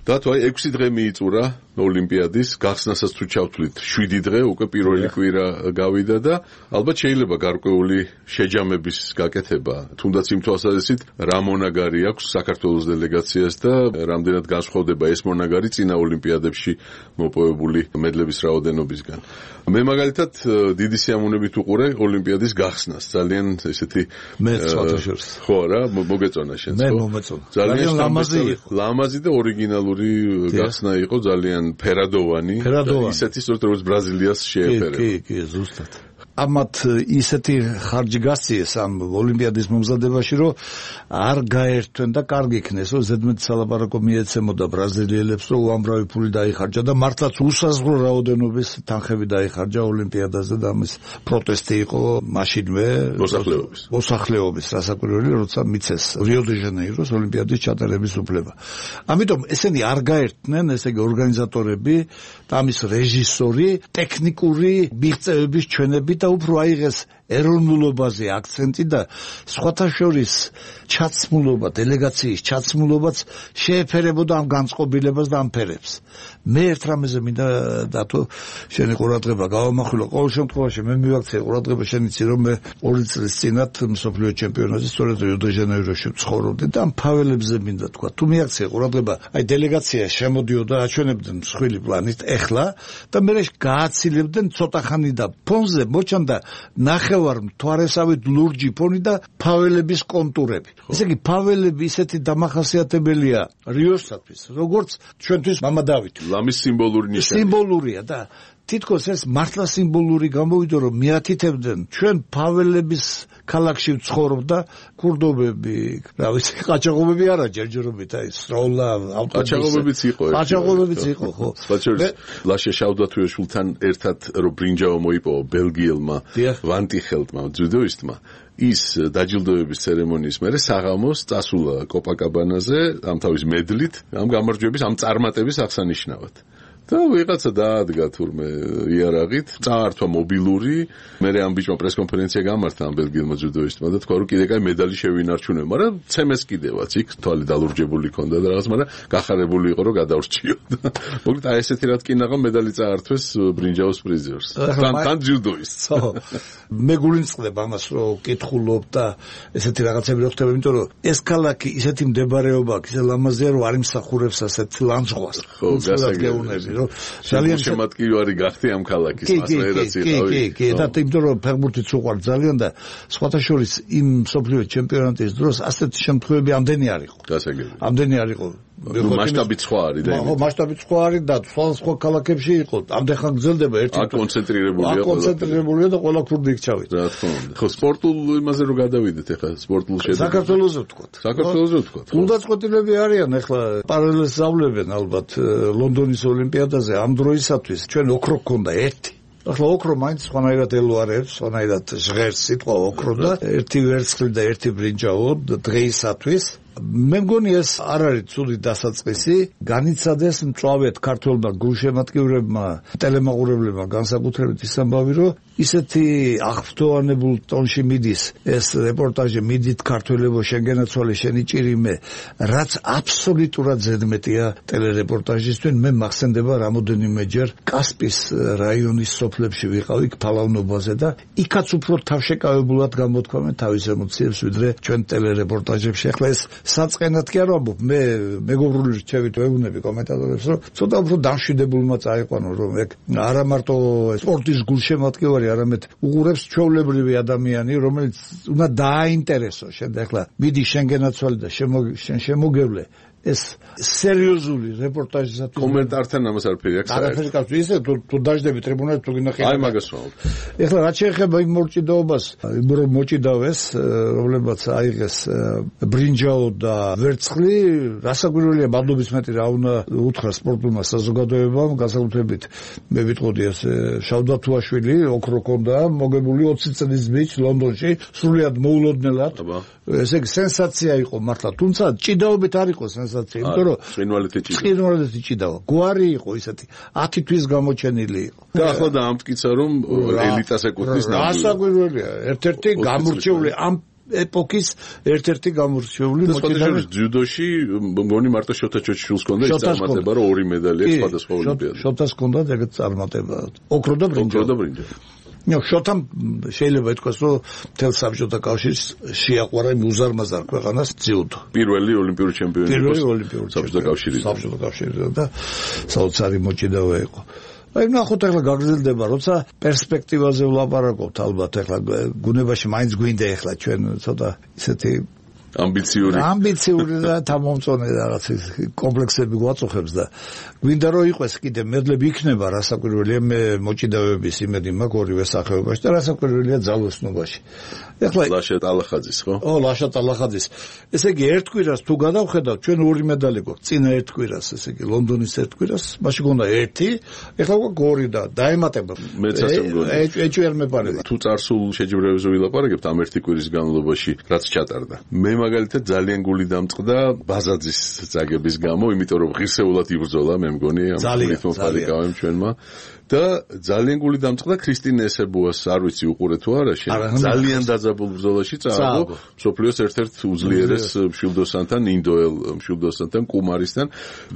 დათო, აი 6 დღე მიიწურა ოლიმპიადის გახსნასაც თუ ჩავთვლით 7 დღე უკვე პირველი კვირა გავიდა და ალბათ შეიძლება გარკვეული შეჯამების გაკეთება თუნდაც იმ თვალსაზრისით რა მონაგარი აქვს საქართველოს დელეგაციას და რამდენად განსხვავდება ეს მონაგარი წინა ოლიმპიადებში მოპოვებული მედლების რაოდენობისგან. მე მაგალითად დიდი სიამოვნებით უყურე ოლიმპიადის გახსნას. ძალიან ესეთი მე ცოტაშორს. ხო რა, მოგეწონა შენც. მე მომეწონა. ძალიან ლამაზი და ორიგინალური გახსნა იყო, ძალიან ფერადოვანი. ისეთი სწორედ როგორც ბრაზილიას შეეფერება. კი, ზუსტად. ამათ ისეთი ხარჯი გასციეს ამ ოლიმპიადის მომზადებაში, რომ არ გაერთვენ და კარგი იქნეს, რომ ზედმეტ სალაპარაკო მიეცემოდა ბრაზილიელებს, რომ უამრავი ფული დაიხარჯა და მართლაც უსაზღვრო რაოდენობის თანხები დაიხარჯა ოლიმპიადაზე და ამის პროტესტი იყო მაშინვე მოსახლეობის რასაკვირველი, როცა მიცეს რიო-დე-ჟანეიროს ოლიმპიადის ჩატარების უფლება. ამიტომ ესენი არ გაერთნენ, ესე იგი ორგანიზატორები და ამის რეჟისორი ტექნიკური მიღწევების ჩვენები და უფრო აიღეს ეროვნულობაზე აქცენტი და სხვათა შორის ჩაცმულობა, დელეგაციის ჩაცმულობაც შეეფერებოდა ამ განწყობილებას და ამ ფერებს. მე ერთ რამეზე მინდა დათო შენი ყურადღება გავამახვილო. ყოველ შემთხვევაში მე მივაქცია ყურადღება შენიცი, რომ მე 2 წლის წინათ მსოფლიო ჩემპიონატზე სწორედ რიო-დე-ჟანეიროში ვცხოვრობდი და ამ ფაველებზე მინდა თქვა. თუ მიაქცია ყურადღება, აი დელეგაცია შემოდიოდა, აჩვენებდნენ მსხვილი პლანით ეხლა და მე გააცილებდნენ ცოტა ხანი და ფონზე მოჩანდა ნახევარ მთვარესავით ლურჯი ფონი და ფაველების კონტურები. ესე იგი ფაველები ისეთი დამახასიათებელია რიოსთვის, როგორც ჩვენთვის მამა დავითი. ლამის სიმბოლური ნიშანი. სიმბოლურია და თითქოს ეს მართლა სიმბოლური გამოვიდა, რომ მიათითებდნენ ჩვენ ფაველების ქალაქში ვცხოვრობდა ქურდობები, რა ვიცი, ყაჩაღობები არა ჯერჯერობით, აი სროლა, ავტობუსი. ყაჩაღობებიც იყო, ხო. ლაშე შავდათუეშვილთან ერთად რო ბრინჯაო მოიპოვა ბელგიელმა ვანტიხელტმა, ძუდოისტმა. ის დაჯილდოების ცერემონიის მერე საღამოს წასულა კოპაკაბანაზე ამ თავის მედლით, ამ გამარჯვების, ამ წარმატების აღსანიშნავად. და ვიღაცა დაადგა თურმე იარაღით, წაართვა მობილური, მერე ამ ბიჭმა პრესკონფერენცია გამართა ამ ბელგიელმა ძუდოისტმა და თქვა, რომ კიდე კაი მედალი შევინარჩუნებ, მაგრამ ცემეს კიდევაც იქ თვალი დალურჯებული ქონდა და რაღაც, მაგრამ გახარებული იყო, რომ გადავრჩიოდა. მოკლედ აი ესეთი რა თქინაღა მედალი წაართვეს ბრინჯაოს პრიზიორს. თან ძუდოისტს. მე გულინწყდება ამას, რომ კითხულობ და ესეთი რაღაცები რო ხდება, იმიტომ რომ ეს ქალაქი ისეთი მდებარეობა აქვს, ისე ლამაზია, რომ არ იმსახურებს ასეთ ლანძღვას. ხო, გასაგებია. ძალიან შემატკივარი გახდი ამ ქალაქის მასწავლებლად იყავი. კი, და იმიტომ რომ ფეხბურთიც უყვართ ძალიან და სხვათა შორის იმ მსოფლიო ჩემპიონატის დროს ასეთი შემთხვევები ამდენი არ იყო. გასაგებია. ამდენი არ იყო. მასშტაბიც სხვა არის და ხო, მასშტაბიც სხვა არის და სხვა ქალაქებში იყო. ამდენ გრძელდება ერთი. აკონცენტრირებულია და ყველა ქურდი იქ ჩავიდა. რა თქმა უნდა. ხო, სპორტულ იმაზე რო გადავიდეთ ახლა სპორტულ შედეგებზე. საქართველოზე ვთქვათ. უნდაწყვეტილები არიან ახლა პარალელს ზავლებენ ალბათ ლონდონის ოლიმპიადაზე ამ დროისათვის ჩვენ ოქრო გქონდა ერთი. ახლა ოქრო მაინც სხვანაირად ელოარებს, სხვანაირად ჟღერს სიტყვა ოქრო და ერთი ვერცხლი და ერთი ბრინჯაო დღეისათვის. მე მგონი ეს არ არის ცუდი დასაწყისი. განიცადეს მწვავედ ქართველმა გულშემატკივრებმა, ტელემაყურებლებმა განსაკუთრებით ის ამბავი, რომ ისეთი აღფრთოვანებულ ტონში მიდის ეს რეპორტაჟი, მიდით ქართველებო შენგენაცვალე შენი ჭირიმე, რაც აბსოლუტურად ზედმეტია ტელერეპორტაჟისთვის. მე მახსენდება რამოდენიმეჯერ კასპის რაიონის სოფლებში ვიყავი ფალავნობაზე და იქაც უფრო თავშეკავებულად გამოთქვამენ თავის ემოციებს, ვიდრე ჩვენ ტელერეპორტაჟებში. ახლა ეს საწყენად კი არ ვამბობ, მე მეგობრული რჩევით ვეუბნები კომენტატორებს, რომ ცოტა უფრო დამშვიდებულმა წაიყვანო, რომ ეგ არა მარტო სპორტის გულშემატკივარი, არამედ უყურებს ჩვეულებრივი ადამიანი, რომელიც უნდა დააინტერესო. შენ ახლა მიდი შენგენაცვალე და შენ შემოგევლე ეს სერიოზული რეპორტაჟისათვის კომენტართან ამას არაფერი აქვს. არაფერი აქვს. ისე თუ დაждები ტრიბუნაზე თუ გინახე. აი მაგას ვამბობ. ეხლა რაც შეეხება იმ მოჭიდაობას, რომ მოჭიდავეს, რომლებაც აიღეს ბრინჯაო და ვერცხლი, რასაკვირველია, მადლობის მეტი რა უნდა უთხრა სპორტულმა საზოგადოებამ, განსაკუთრებით მე ვიტყოდი ეს შავდათუაშვილი, ოქრო ქონდა, მოგებული 20 წლის ბიჭ ლონდონში, სრულიად მოულოდნელად. ესე იგი სენსაცია იყო მართლა, თუმცა ჭიდაობით არ იყო სენსაცია, იმიტომ რომ ცხინვალეთი ჭიდაო. გვარი იყო ისეთი 10 თვის გამოჩენილი იყო. და ახლა დაამტკიცა რომ ელიტას ეკუთვნის ნამდვილად. რასაკვირველია, ერთ-ერთი გამორჩეული ამ ეპოქის ერთ-ერთი გამორჩეული მოჭიდავე ძიუდოში მგონი მარტო შოთა ჩოჩიშვილს ჰქონდა ის წარმატება რომ 2 მედალი აქვს სხვადასხვა ოლიმპიადაში შოთას ჰქონდა ეგეთ წარმატება ოქრო და ბრინჯი შოთამ შეიძლება ითქვას რომ მთელ საბჭოთა კავშირს შეაყვარა უზარმაზარ ქვეყანას ძიუდო პირველი ოლიმპიური ჩემპიონი საბჭოთა კავშირიდან და საოცარი მოჭიდავე იყო აი ნახოთ ახლა გაგრძელდება როცა პერსპექტივაზე ვლაპარაკობთ ალბათ ახლა გუნებაში მაინც გვინდა ახლა ჩვენ ცოტა ისეთი ამბიციური და თამომწონე რაღაც კომპლექსები გვაწუხებს და გვინდა რომ იყოს კიდე მედლები იქნება რასაკვირველია მე მოჭიდავების იმედი მაქვს ორივე სახეობაში და რასაკვირველია ძალოსნობაში ეხლა ლაშა ტალახაძის ხო? ლაშა ტალახაძის ესე იგი ერთ კვირას თუ გადავხედავთ ჩვენ 2 მედალი გვაქვს წინა ერთ კვირას ესე იგი ლონდონის ერთ კვირას მაშინ გონდა 1 ეხლა გვაქვს 2 და დაემატება მეც ასე მგონია ეჭვი არ მეპარება თუ წარსულ შეჯიბრებებზე ვილაპარაკებთ ამ ერთი კვირის განმავლობაში რაც ჩატარდა მე მაგალითად ძალიან გული დამწყდა ბაზაძის წაგების გამო იმიტომ რომ ღირსეულად იბრძოლა მე მგონი ამ რიტმოფარიკავემ ჩვენმა და ძალიან გული დამწყდა ქრისტინ ესებუას არ ვიცი უყურე თუ არა შენ ძალიან დაძაბულ ბრძოლაში წააგო სოფლიოს ერთ-ერთ უძლიერეს მშვილდოსანთან ინდოელ მშვილდოსანთან კუმარისთან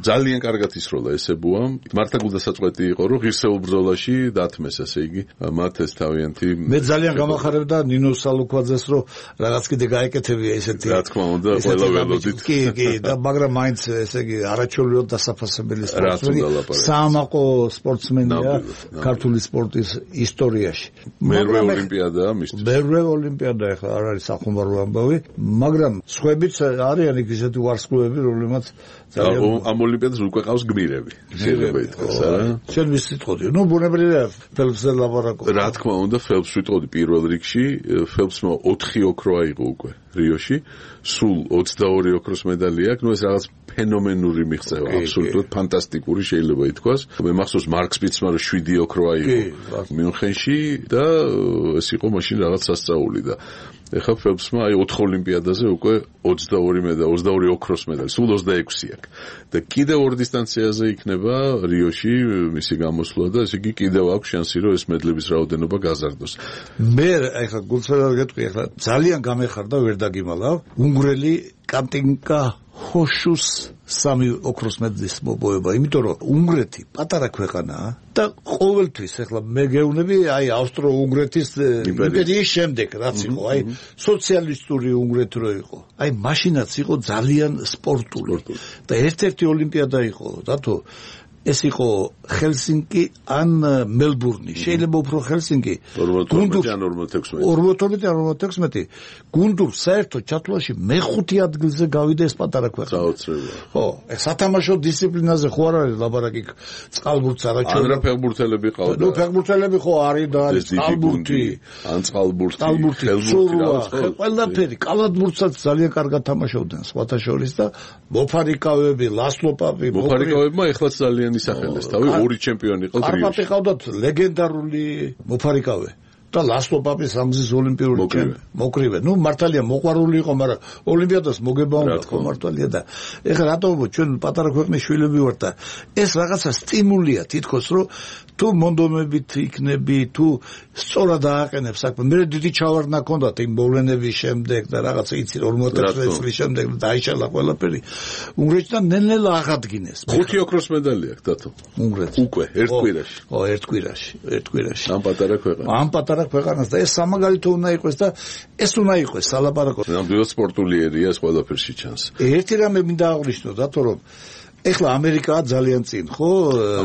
ძალიან კარგად ისროლა ესებუამ მართა გულდასაწყვეტი იყო რომ ღირსეულ ბრძოლაში დათმეს ასე იგი მათ ეს თავიანთი მე ძალიან გამახარებდა ნინო სალუქვაძეს რომ რაღაც კიდე გაეკეთებია ესეთი რა თქმა უნდა ყველა ველოდით კი და მაგრამ მაინც ესე იგი არაჩვეულებრივად დასაფასებელი სპორტსმენი საამაყო სპორტსმენია ქართული სპორტის ისტორიაში. მერვე ოლიმპიადაა მისთვის. მერვე ოლიმპიადა ახლა არ არის სახუმარო ამბავი, მაგრამ სხვაებიც არიან იქ ისეთი ვარსკვლავები, რომლებმაც ამ ოლიმპიადას უკვე ყავს გმირები. შეიძლება ითქვას, არა? შენ ვის ვიტყოდი? ნუ ბუნებრივია ფელპსზე ლაპარაკობ. რა თქმა უნდა, ფელპს ვიტყოდი პირველ რიგში, ფელპსმა 4 ოქრო აიღო უკვე რიოში, სულ 22 ოქროს მედალი აქვს, ნუ ეს რაღაც ფენომენური მიღწევა, აბსოლუტურად ფანტასტიკური შეიძლება ითქვას. მე მახსოვს მარკ სპიცმა რომ 7 ოქრო აიღო მიუნხენში და ეს იყო მაშინ რაღაც სასწაული და ეხლა ფელპსმა აი 4 ოლიმპიადაზე უკვე 22 ოქროს მედალი, სულ 26 აქვს. და კიდევ 2 დისტანციაზე იქნება რიოში მისი გამოსვლა და ესე იგი კიდევ აქვს შანსი რომ ეს მედლების რაოდენობა გაზარდოს. მე ეხლა გულწრფელად გეტყვი ეხლა ძალიან გამეხარდა ვერ დაგიმალავ უნგრელი კატინკა ჰოშუს 3 ოქროს მედლის მოპოვება, იმიტომ რომ უნგრეთი პატარა ქვეყანაა და ყოველთვის ეხლა მე გეუბნები აი ავსტრო-უნგრეთის იმპერიის შემდეგ რაც იყო, აი სოციალისტური უნგრეთი რო იყო. აი მაშინაც იყო ძალიან სპორტული და ერთ-ერთი ოლიმპიადა იყო, რატო ეს იყო ჰელსინკი ან მელბურნი. შეიძლება უფრო ჰელსინკი. 42-46 გუნდურ საერთო ჩათვლაში მე-5 ადგილზე გავიდა ეს პატარა ქვეყანა. ხო, სათამაშო დისციპლინაზე ხო არ არის ლაბარაკი წყალბურთს არაჩვეულებრივი. ან ფეხბურთელები ყავდა. ნუ ფეხბურთელები ხო არის და არის წყალბურთი, ან წყალბურთი, ხელბურთი, ყველაფერი. კალათბურთსაც ძალიან კარგად თამაშობდნენ სხვათა შორის და მოფარიკავები, ლასლო პაპი, მოფარიკავებმა ეხლაც ძალიან ისახელეს თავი 2 ჩემპიონი ყავს რიოში. კარპატი ყავდათ ლეგენდარული მოფარიკავე და ლასლო პაპის ამზის ოლიმპიური ჩემპიონი. მოკრივე. ნუ მართალია მოყვარული იყო, მაგრამ ოლიმპიადას მოგება უნდა ხო მართალია და ეხლა რატომ ჩვენ პატარა ქვეყნის შვილები ვართ და ეს რაღაცა სტიმულია თითქოს რომ თუ მონდომებით იქნები, თუ სწორად ააყენებ საქმე. მე დიდი ჩავარდნა ჰქონდათ იმ მოვლენების შემდეგ და რაღაცა იცი 56 წლის შემდეგ დაიშალა ყველაფერი. უნგრეთიდან ნელ-ნელა აღადგინეს. 5 ოქროს მედალი აქვს დათო. უნგრეთს. უკვე ერთ კვირაში. ო, ერთ კვირაში. ამ პატარა ქვეყანას. ამ პატარა ქვეყანას და ეს სამაგალითო უნდა იყოს და ეს უნდა იყოს სალაპარაკო. ნამდვილად სპორტული ერია ეს ყველაფერში ჩანს. ერთი რამე მინდა აღვნიშნო, დათო რომ ეხლა ამერიკაა ძალიან წინ, ხო?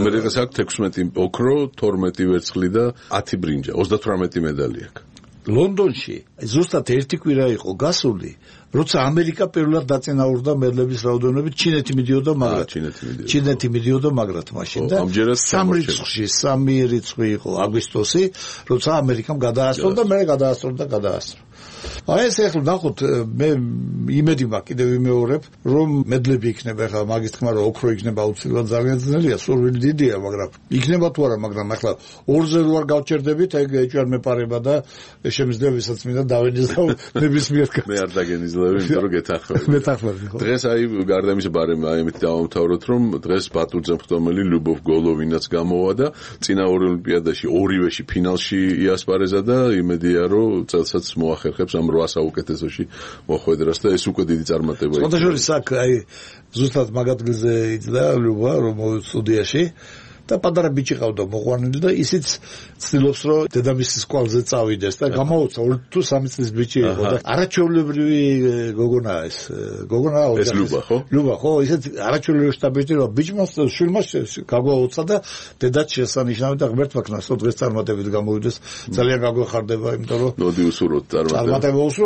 ამერიკას აქვს 16 ოქრო, 12 ვერცხლი და 10 ბრინჯა, 38 მედალი აქვს. ლონდონში ზუსტად ერთი კვირა იყო გასული, როცა ამერიკა პირველად დაწინაურდა მედლების რაოდენობით, ჩინეთი მიდიოდა მაგრად მაშინ და 3 რიცხვი იყო აგვისტოსი, როცა ამერიკამ გადაასწრო და მე გადაასწრო. აი ეს ახლა ნახოთ მე იმედი მაქვს კიდევ ვიმეორებ რომ მედლები იქნება ახლა მაგის თქმა რომ ოქრო იქნება აუცილებლად ძალიან ძნელია სურვილი დიდია მაგრამ იქნება თუ არა მაგრამ ახლა 2-ზე რო არ გავჩერდებით ეგ ეჭვარ მეპარება და შემიძლია ვისაც მინდა დავენიზავ ნებისმიერ კაცს მე არ დაგენიზავებ იმიტომ რომ გეთახმები ხო დღეს აი გარდა იმისა ბარემ აი ამით დავამთავროთ რომ დღეს ბატურძე მხტომელი ლუბოვ გოლოვინაც გამოვა და წინა ორ ოლიმპიადაში ორივეში ფინალში იასპარეზა და იმედია რომ წელსაც მოახერხებს ახერხებს ამ 8 საუკეთესოში მოხვედრას და ეს უკვე დიდი წარმატება იქნება. სხვადასხვა აქ აი ზუსტად მაგ ადგილზე იძდა ლუბა რომ სტუდიაში და პატარა ბიჭი ყავდა მოყვანილი და ისიც ცდილობს რომ დედამისის კვალზე წავიდეს და გამოუცა 2 თუ 3 წლის ბიჭი იყო და არაჩვეულებრივი გოგონაა ეს გოგონა ეს ლუბა ხო ისეთ არაჩვეულებრივი შტაბიჭი რომ ბიჭმა შვილმა გაგვაუცა და დედაც შესანიშნავი და ღმერთმა ქნას დღეს წარმატებით გამოვიდეს ძალიან გაგვეხარდება იმიტომ რომ მოდი უსურვოთ წარმატება